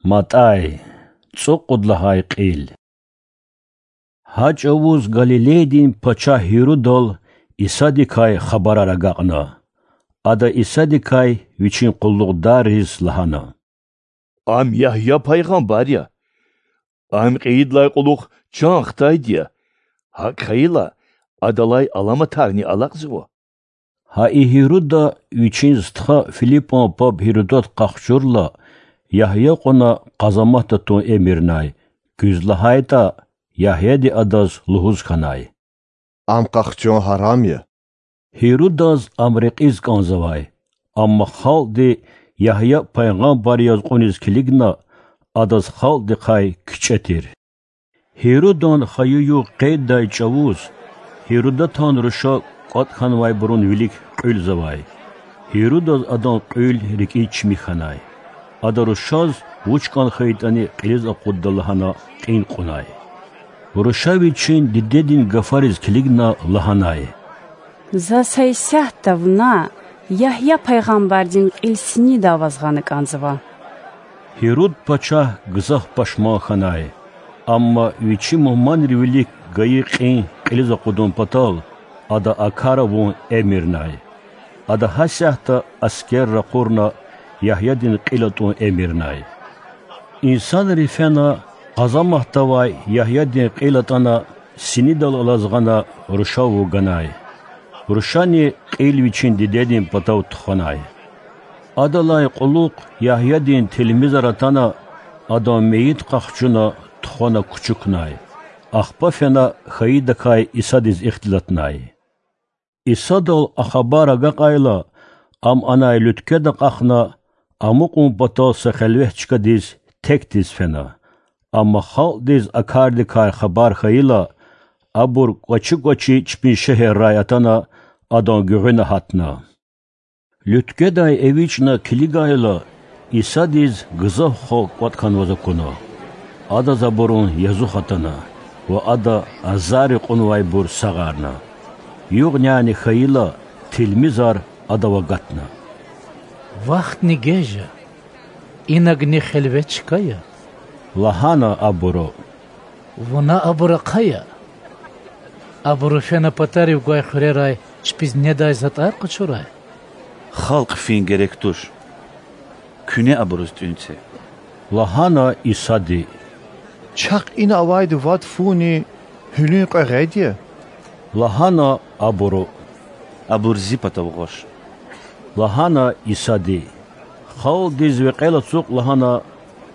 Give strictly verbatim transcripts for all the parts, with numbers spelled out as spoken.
МатӀай. ЦӀукьуд лагьай кьил. Гьа чӀавуз Галилейдин пачагь Гьирудал Исадикай хабарар агакьна. Ада Исадикай, вичин къуллугъдарриз лагьана: Ам Ягья пайгъамбар я. Ам кьейидалай кьулухъ чан хтайди я. ГьакӀ хьайила, адалай аламатарни алакьзава. Гьа и Гьируда вичин стха Филипан паб Гьирудат къахчурла, Ягья кьуна къазаматда тун эмирнай, куьз лагьайтӀа Ягьяди адаз лугьуз хьанай: Ам къахчун гьарам я. Гьирудаз ам рекьиз кӀанзавай, амма халкьди Ягья пайгъамбар яз кьуниз килигна, адаз халкьдихъай кичӀе тир. Гьирудан хайи-югъ къейддай чӀавуз Гьирудатан руша кӀватӀ хьанвайбурун вилик кьуьлзавай. Гьирудаз адан кьуьл рикӀиз чими хьанай. Ада рушаз вуч кӀан хьайитӀани кьилиз акъудда лагьана кьин кьунай. Руша вичин дидедин гафариз килигна лагьанай: За са исятда вуна Ягья пайгъамбардин кьил синидав ваз гъана кӀанзава. Гьируд пачагь гзаф пашман хьанай, амма вичи мугьманрин вилик гайи кьин кьилиз акъудун патал ада а кар авун эмирнай. Ада гьасятда аскер ракъурна Ягьядин кьил атӀун эмирнай. Инсанри фена, къазаматда авай Ягьядин кьил атӀана, синидал алаз гъана рушав вуганай. Рушани кьил вичин дидедин патав тухванай. Адалай кьулухъ Ягьядин тилмизар атана, адан мейит къахчуна, тухвана кучукнай. Ахпа фена хьайидакай Исадиз ихтилатнай. Исадал а хабар агакьайла, Ам анай луьтквед акьахна, амукьун патал са хелвет чкадиз текдиз фена. Амма халкьдиз а кардикай хабар хьайила, абур кӀвачи-кӀвачи чпин шегьеррай атана, Адан гуьгъуьна гьатна. Луьткведай эвичӀна килигайла, Исадиз гзаф халкь кӀватӀ хьанваз акуна. Адаз абурун язух атана ва Ада азарри кьунвайбур сагъарна. Югъ-няни хьайила, тилмизар Адав агатна. Вахтни геж я, инагни хелвет чка я,— лагьана абуру. Вуна абур ахъая. Абуру фена патарив гвай хуьрерай чпиз недай затӀар къачурай. Халкь фин герек туш. Куьне абуруз тӀуьн це,— лагьана Исади. Чахъ ина авайди вад фуни гьуьлуьн кьве гъед я,— лагьана абуру. Абур Зи патав гъваш,— лагьана Исади. Халкьдиз векьел ацукь лагьана,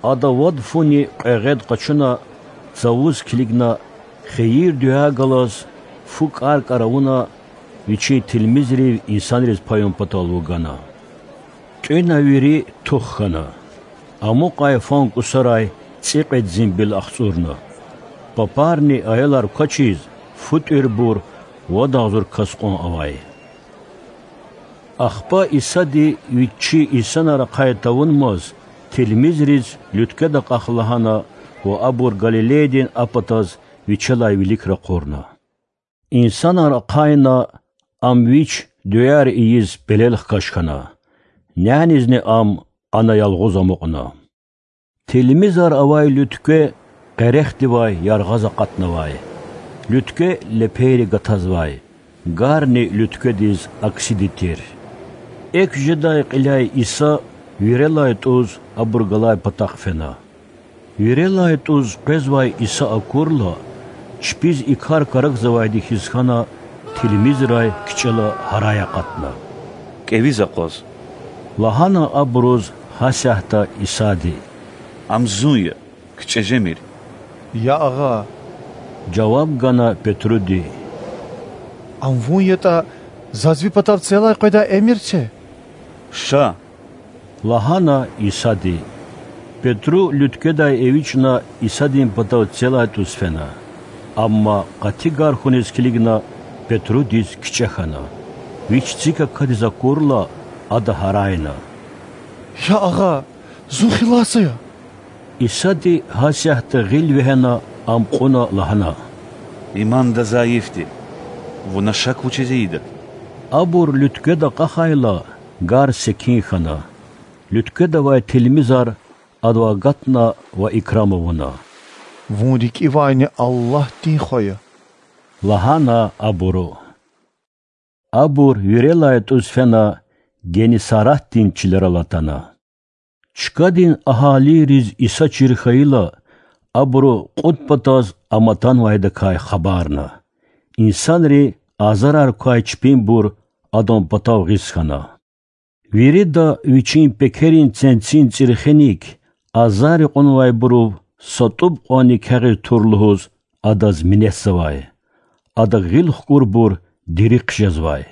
Ада вад фуни кьве гъед къачуна, цавуз килигна, хийир-дуьа галаз, фу кӀар-кӀар авуна, Вичин тилмизрив инсанриз паюн патал вугана. ТӀуьна вири тух хьана. Амукьай фан кӀусарай цӀикьвед зимбил ахцӀурна. Папарни аялар квачиз, фу тӀуьрбур, вад агъзур кас кьван авай. Ахпа Исади Вич чи инсанар ахъай тавунмаз тилмизриз луьткведа акьах лагьана ва абур Галилейдин а патаз Вичелай вилик ракъурна. Инсанар ахъайна, Ам Вич дуьаяр ийиз пелел хкаж хьана. Нянизни Ам ана ялгъуз амукьна. Тилмизар авай луьткве къерехдивай яргъаз акъатнавай. Луьткве лепейри гатазвай, гарни луьткведиз аксиди тир. Экв жедай кьиляй Иса вирелай тӀуз абур галай патахъ фена. Вирелай тӀуз къвезвай Иса акурла, чпиз и кар карагзавайди хьиз хьана, тилмизрай кичӀела гьарай акъатна: КӀевиз акъваз,— лагьана абуруз гьасятда Исади. Ам Зун я, кичӀе жемир. Я Агъа,— жаваб гана Петруди. Ам Вун ятӀа, заз Ви патав целай къведай эмир це. Ша,— лагьана Исади. Петру луьткведай эвичӀна Исадин патав целай тӀуз фена. Амма къати гар хьуниз килигна, Петрудиз кичӀе хьана. Вич цик акадиз акурла, ада гьарайна: Я Агъа, зун хилас ая! Исади гьасятда гъил вегьена, Ам кьуна лагьана: Иманда зайифди, вуна шак вучиз ийида? Абур луьткведа акьахайла, гар секин хьана. Луьткведавай тилмизар Адавай агатна ва икрам авуна: Вун рикӀивайни Аллагьдин Хва я,– лагьана абуру. Абур вирелай тӀуз фена Геннисаратдин чилерал атана. Чкадин агьалийриз Иса чир хьайила, абуру кьуд патаз ам атанвайдакай хабарна. Инсанри азарар квай чпинбур Адан патав гъиз хьана. Вирида вичин пекерин ценцин цӀирхеник азарри кьунвайбурув са тӀуб кьванни кягъиз тур лугьуз Адаз минетзавай. Адак гъил хкӀурбур дири хъжезвай.